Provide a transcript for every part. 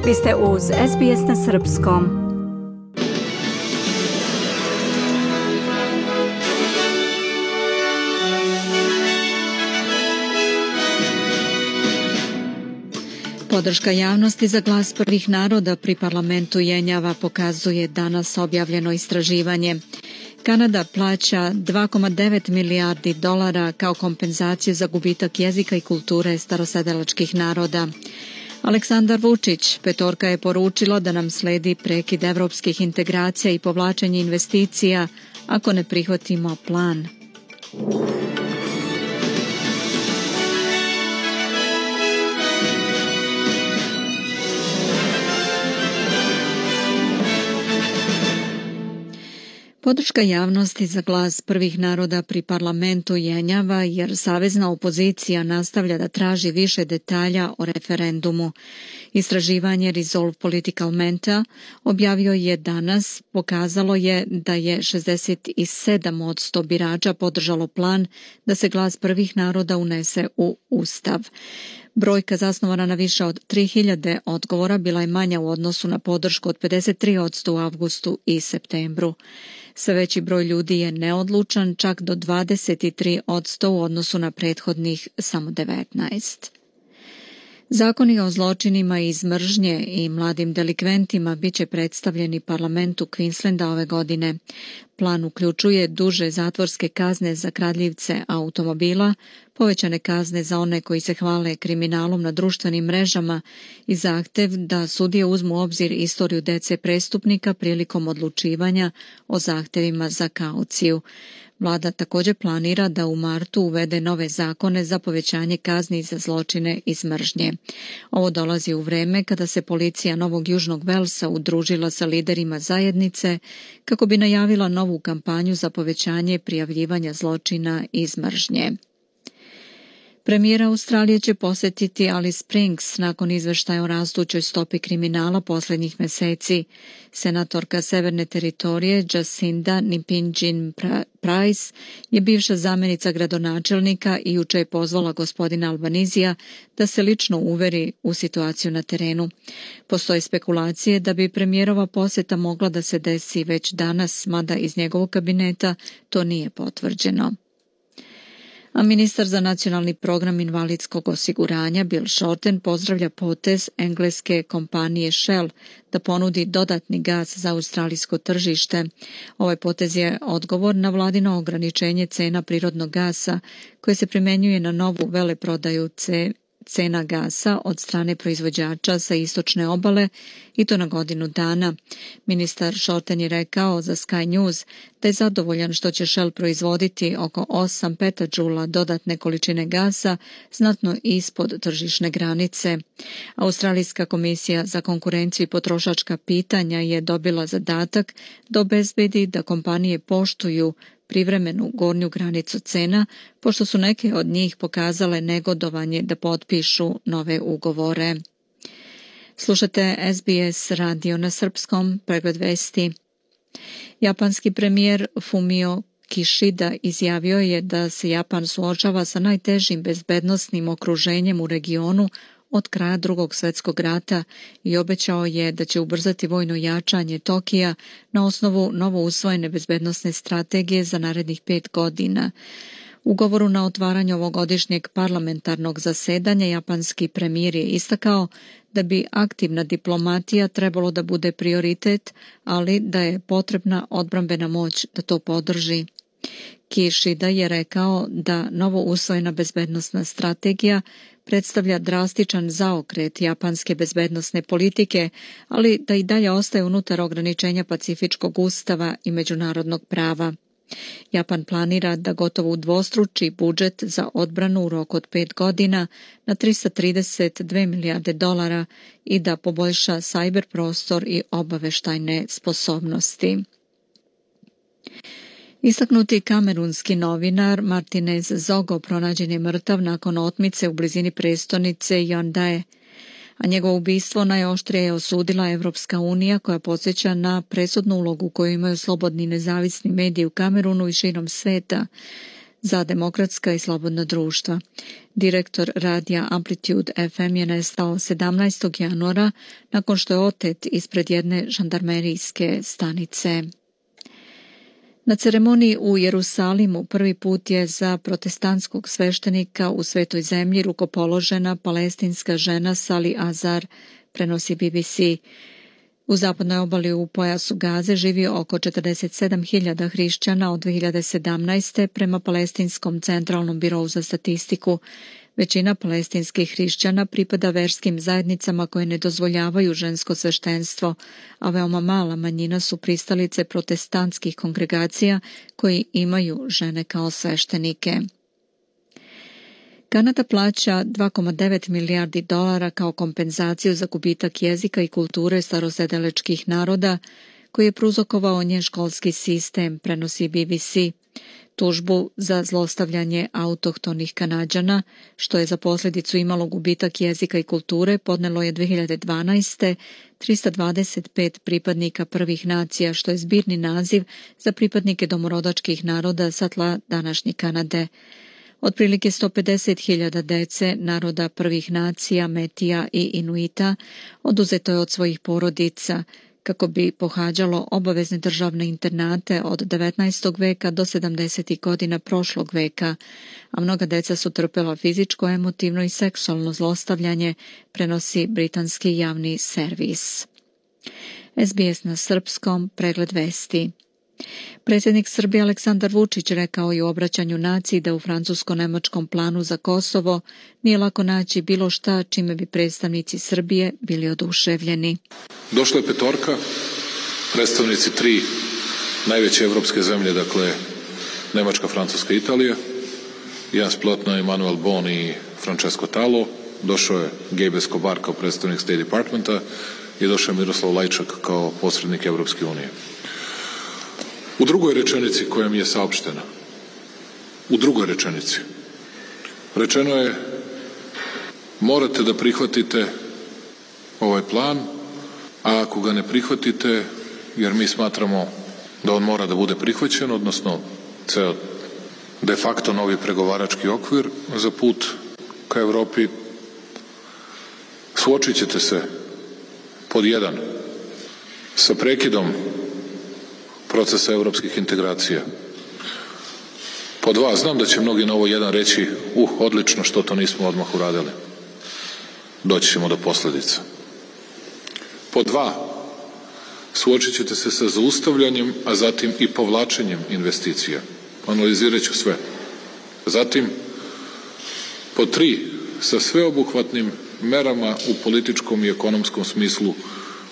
Vi ste uz SBS na srpskom. Podrška javnosti za glas prvih naroda pri parlamentu jenjava, pokazuje danas objavljeno istraživanje. Kanada plaća 2,9 milijardi dolara kao kompenzaciju za gubitak jezika i kulture starosedelačkih naroda. Aleksandar Vučić, petorka, je poručilo da nam sledi prekid evropskih integracija i povlačenje investicija ako ne prihvatimo plan. Podrška javnosti za glas prvih naroda pri parlamentu jenjava jer savezna opozicija nastavlja da traži više detalja o referendumu. Istraživanje Resolve Political Menta objavio je danas, pokazalo je da je 67% birača podržalo plan da se glas prvih naroda unese u Ustav. Brojka zasnovana na više od 3000 odgovora bila je manja u odnosu na podršku od 53% u avgustu i septembru. Sve veći broj ljudi je neodlučan, čak do 23% u odnosu na prethodnih samo 19%. Zakoni o zločinima iz mržnje i mladim delikventima bit će predstavljeni parlamentu Queenslanda ove godine. Plan uključuje duže zatvorske kazne za kradljivce automobila, povećane kazne za one koji se hvale kriminalom na društvenim mrežama i zahtev da sudije uzmu u obzir istoriju dece prestupnika prilikom odlučivanja o zahtevima za kauciju. Vlada također planira da u martu uvede nove zakone za povećanje kazni za zločine iz mržnje. Ovo dolazi u vreme kada se policija Novog Južnog Velsa udružila sa liderima zajednice kako bi najavila novu kampanju za povećanje prijavljivanja zločina iz mržnje. Premijer Australije će posjetiti Alice Springs nakon izveštaja o rastućoj stopi kriminala posljednjih mjeseci. Senatorka Severne teritorije Jacinda Nipinjin-Price je bivša zamjenica gradonačelnika i jučer je pozvala gospodina Albanizija da se lično uveri u situaciju na terenu. Postoje spekulacije da bi premijerova posjeta mogla da se desi već danas, mada iz njegovog kabineta to nije potvrđeno. A ministar za nacionalni program invalidskog osiguranja Bill Shorten pozdravlja potez engleske kompanije Shell da ponudi dodatni gas za australijsko tržište. Ovaj potez je odgovor na vladino ograničenje cena prirodnog gasa koje se primjenjuje na novu veleprodaju cena gasa od strane proizvođača sa istočne obale i to na godinu dana. Ministar Shorten je rekao za Sky News da je zadovoljan što će Shell proizvoditi oko 8 petadžula dodatne količine gasa, znatno ispod tržišne granice. Australijska komisija za konkurenciju i potrošačka pitanja je dobila zadatak da obezbedi da kompanije poštuju privremenu gornju granicu cena, pošto su neke od njih pokazale negodovanje da potpišu nove ugovore. Slušate SBS radio na srpskom, pregled vesti. Japanski premijer Fumio Kishida izjavio je da se Japan suočava sa najtežim bezbednosnim okruženjem u regionu od kraja Drugog svjetskog rata i obećao je da će ubrzati vojno jačanje Tokija na osnovu novo usvojene bezbednosne strategije za narednih 5 godina. U govoru na otvaranju ovogodišnjeg parlamentarnog zasedanja japanski premijer je istakao da bi aktivna diplomatija trebalo da bude prioritet, ali da je potrebna odbrambena moć da to podrži. Kishida je rekao da novo usvojena bezbednosna strategija predstavlja drastičan zaokret japanske bezbednosne politike, ali da i dalje ostaje unutar ograničenja Pacifičkog ustava i međunarodnog prava. Japan planira da gotovo udvostruči budžet za odbranu u roku od 5 godina na 332 milijarde dolara i da poboljša sajber prostor i obaveštajne sposobnosti. Istaknuti kamerunski novinar Martinez Zogo pronađen je mrtav nakon otmice u blizini prestonice Yaounde, a njegovo ubistvo najoštrije je osudila Evropska unija koja podsjeća na presudnu ulogu koju imaju slobodni nezavisni mediji u Kamerunu i širom sveta za demokratska i slobodna društva. Direktor radija Amplitude FM je nestao 17. januara nakon što je otet ispred jedne žandarmerijske stanice. Na ceremoniji u Jerusalimu prvi put je za protestantskog sveštenika u Svetoj zemlji rukopoložena palestinska žena Sali Azar, prenosi BBC. U zapadnoj obali u pojasu Gaze živi oko 47.000 hrišćana od 2017. prema Palestinskom centralnom birou za statistiku. Većina palestinskih hrišćana pripada verskim zajednicama koje ne dozvoljavaju žensko sveštenstvo, a veoma mala manjina su pristalice protestantskih kongregacija koji imaju žene kao sveštenike. Kanada plaća $2,9 milijardi kao kompenzaciju za gubitak jezika i kulture starosedelačkih naroda koji je prouzrokovao njen školski sistem, prenosi BBC. Tužbu za zlostavljanje autohtonih Kanađana, što je za posljedicu imalo gubitak jezika i kulture, podnelo je 2012. 325 pripadnika prvih nacija, što je zbirni naziv za pripadnike domorodačkih naroda sa tla današnje Kanade. Otprilike 150.000 dece naroda prvih nacija, Metija i Inuita oduzeto je od svojih porodica kako bi pohađalo obavezne državne internate od 19. veka do 70. godina prošlog veka, a mnoga deca su trpela fizičko, emotivno i seksualno zlostavljanje, prenosi britanski javni servis. SBS na srpskom, pregled vesti. Predsjednik Srbije Aleksandar Vučić rekao je u obraćanju naciji da u francusko-nemačkom planu za Kosovo nije lako naći bilo šta čime bi predstavnici Srbije bili oduševljeni. Došla je petorka, predstavnici tri najveće evropske zemlje, dakle Nemačka, Francuska i Italija, Jens Plotna, Emmanuel Bon i Francesco Talo, došao je Gabe Escobar kao predstavnik State Departmenta i došao je Miroslav Lajčak kao posrednik Evropske unije. U drugoj rečenici koja mi je saopštena, rečeno je: morate da prihvatite ovaj plan, a ako ga ne prihvatite, jer mi smatramo da on mora da bude prihvaćen, odnosno ceo de facto novi pregovarački okvir za put ka Evropi, suočit ćete se pod 1 sa prekidom procesa evropskih integracija. Pod 2, znam da će mnogi na ovo 1 reći: odlično, što to nismo odmah uradili. Doći ćemo do posljedica. Pod 2, suočit ćete se sa zaustavljanjem, a zatim i povlačenjem investicija. Analizirat ću sve. Zatim, pod 3, sa sveobuhvatnim merama u političkom i ekonomskom smislu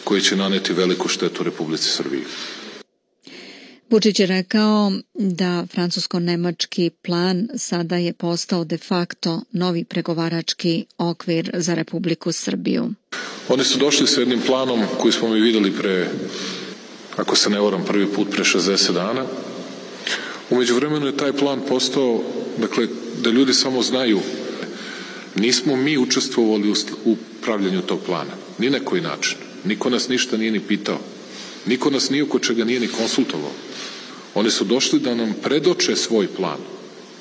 koji će naneti veliku štetu Republici Srbiji. Vučić je rekao da francusko-nemački plan sada je postao de facto novi pregovarački okvir za Republiku Srbiju. Oni su došli sa jednim planom koji smo mi videli pre, ako se ne varam, prvi put pre 60 dana. U međuvremenu je taj plan postao, dakle, da ljudi samo znaju, nismo mi učestvovali u pravljanju tog plana, ni na koji način. Niko nas ništa nije ni pitao. Niko nas ni oko čega nije ni konsultovao. Oni su došli da nam predoče svoj plan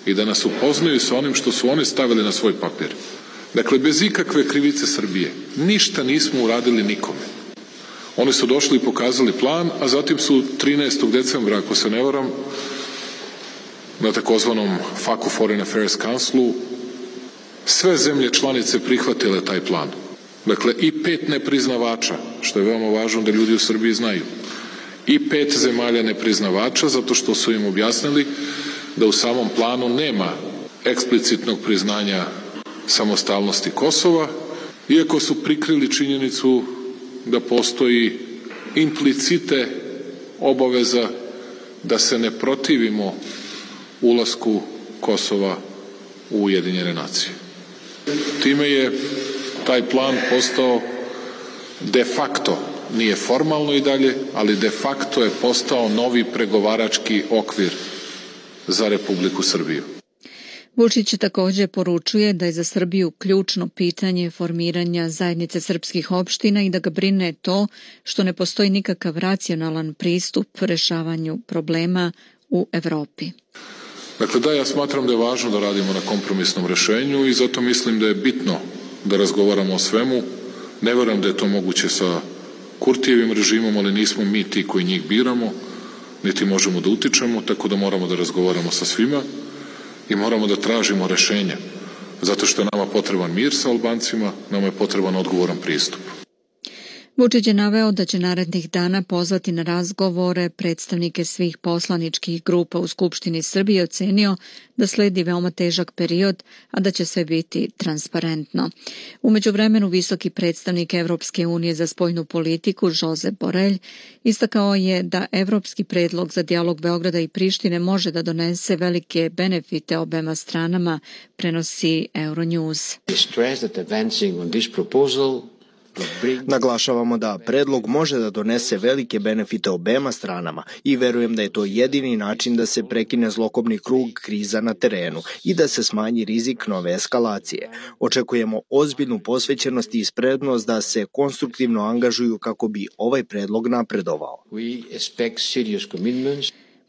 i da nas upoznaju sa onim što su oni stavili na svoj papir. Dakle, bez ikakve krivice Srbije. Ništa nismo uradili nikome. Oni su došli i pokazali plan, a zatim su 13. decembra, ako se ne varam, na takozvanom FAQ Foreign Affairs Councilu sve zemlje članice prihvatile taj plan. Dakle, i 5 nepriznavača, što je veoma važno da ljudi u Srbiji znaju. I 5 zemalja nepriznavača, zato što su im objasnili da u samom planu nema eksplicitnog priznanja samostalnosti Kosova, iako su prikrili činjenicu da postoji implicite obaveza da se ne protivimo ulasku Kosova u Ujedinjene nacije. Time je taj plan postao de facto, nije formalno i dalje, ali de facto je postao novi pregovarački okvir za Republiku Srbiju. Vučić također poručuje da je za Srbiju ključno pitanje formiranja zajednice srpskih opština i da ga brine to što ne postoji nikakav racionalan pristup rešavanju problema u Evropi. Dakle, ja smatram da je važno da radimo na kompromisnom rešenju i zato mislim da je bitno da razgovaramo o svemu. Ne verujem da je to moguće sa Kurtijevim režimom, ali nismo mi ti koji njih biramo, niti možemo da utičemo, tako da moramo da razgovaramo sa svima i moramo da tražimo rešenje. Zato što je nama potreban mir sa Albancima, nama je potreban odgovoran pristup. Vučić je naveo da će narednih dana pozvati na razgovore predstavnike svih poslaničkih grupa u Skupštini Srbije i ocenio da sledi veoma težak period, a da će sve biti transparentno. U međuvremenu visoki predstavnik Evropske unije za spoljnu politiku Josep Borrell istakao je da evropski predlog za dijalog Beograda i Prištine može da donese velike benefite obema stranama, prenosi Euronews. Naglašavamo da predlog može da donese velike benefite obema stranama i verujem da je to jedini način da se prekine zlokobni krug kriza na terenu i da se smanji rizik nove eskalacije. Očekujemo ozbiljnu posvećenost i spremnost da se konstruktivno angažuju kako bi ovaj predlog napredovao.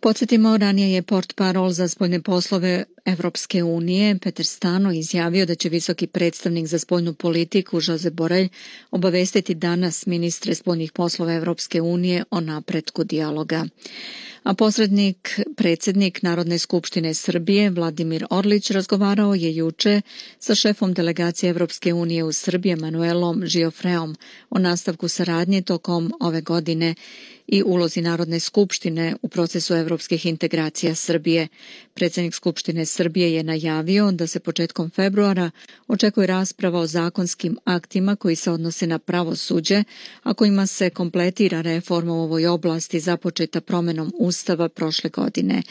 Podsjetimo, ranije je portparol za spoljne poslove Evropske unije Peter Stano izjavio da će visoki predstavnik za spoljnu politiku Josep Borrell obavestiti danas ministre spoljnih poslova Evropske unije o napretku dijaloga. A predsjednik Narodne skupštine Srbije Vladimir Orlić razgovarao je juče sa šefom delegacije Evropske unije u Srbiji Manuelom Giofreom o nastavku saradnje tokom ove godine i ulozi Narodne skupštine u procesu evropskih integracija Srbije. Predsjednik Skupštine Srbije je najavio da se početkom februara očekuje rasprava o zakonskim aktima koji se odnose na pravosuđe, a kojima se kompletira reforma u ovoj oblasti započeta promenom Ustava prošle godine.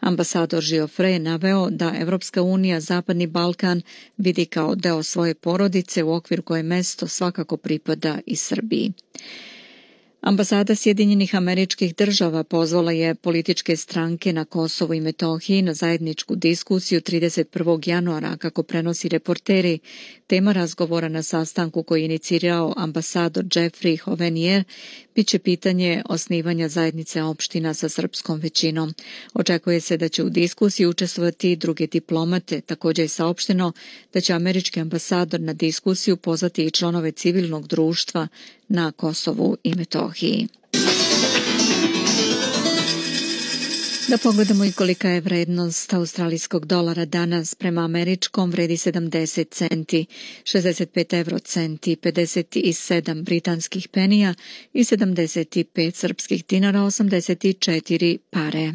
Ambasador Giofre je naveo da Evropska unija Zapadni Balkan vidi kao deo svoje porodice u okviru koje mesto svakako pripada i Srbiji. Ambasada Sjedinjenih Američkih Država pozvala je političke stranke na Kosovu i Metohiji na zajedničku diskusiju 31. januara, kako prenosi Reporteri. Tema razgovora na sastanku koji je inicirao ambasador Jeffrey Hovenier biće pitanje osnivanja zajednice opština sa srpskom većinom. Očekuje se da će u diskusiji učestvovati i druge diplomate. Također je saopšteno da će američki ambasador na diskusiju pozvati i članove civilnog društva na Kosovu i Metohiji. Da pogledamo i kolika je vrednost australijskog dolara danas. Prema američkom vredi 70 centi, 65 eurocenti, 57 britanskih penija i 75 srpskih dinara, 84 pare.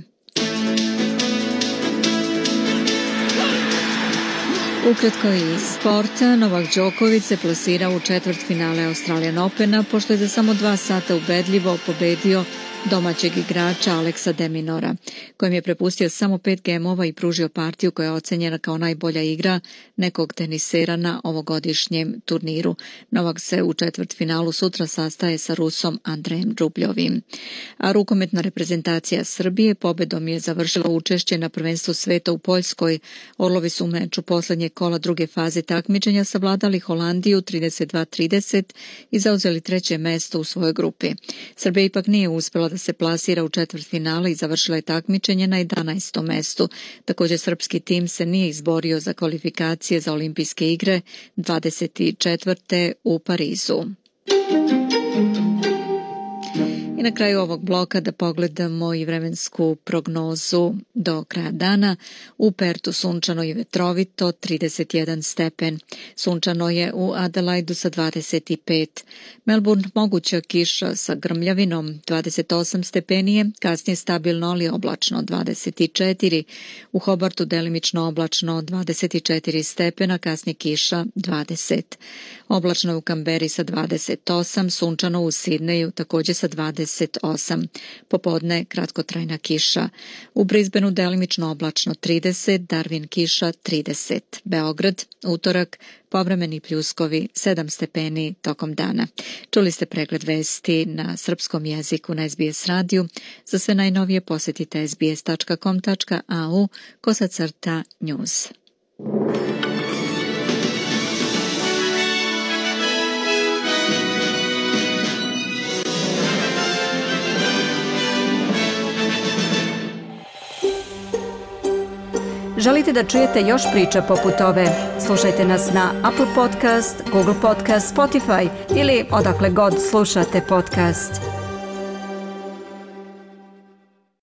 Ukratko iz sporta, Novak Đoković se plasirao u četvrtfinale Australian Opena, pošto je za samo 2 sata ubedljivo pobedio domaćeg igrača Aleksa de Minaura, kojem je prepustio samo 5 gemova i pružio partiju koja je ocenjena kao najbolja igra nekog tenisera na ovogodišnjem turniru. Novak se u četvrtfinalu sutra sastaje sa Rusom Andrejem Rubljovim. A rukometna reprezentacija Srbije pobedom je završila učešće na prvenstvu sveta u Poljskoj. Orlovi su u meču poslednjeg kola druge faze takmičenja savladali Holandiju 32-30 i zauzeli 3. mesto u svojoj grupi. Srbija ipak nije uspela da se plasira u četvrtfinale i završila je takmičenje na 11. mestu. Također srpski tim se nije izborio za kvalifikacije za olimpijske igre 24. u Parizu. I na kraju ovog bloka da pogledamo i vremensku prognozu do kraja dana. U Pertu sunčano i vetrovito, 31 stepen. Sunčano je u Adelaidu sa 25. Melbourne moguća kiša sa grmljavinom, 28 stepenije, kasnije stabilno ali oblačno, 24. U Hobartu delimično oblačno, 24 stepena, kasnije kiša, 20. Oblačno je u Kamberi sa 28, sunčano u Sidneju također sa 28. Popodne kratkotrajna kiša. U Brisbaneu delimično oblačno 30, Darwin kiša 30. Beograd, utorak, povremeni pljuskovi 7 stepeni tokom dana. Čuli ste pregled vesti na srpskom jeziku na SBS radiju. Za sve najnovije posjetite sbs.com.au/news. Želite da čujete još priča poput ove? Slušajte nas na Apple Podcast, Google Podcast, Spotify ili odakle god slušate podcast.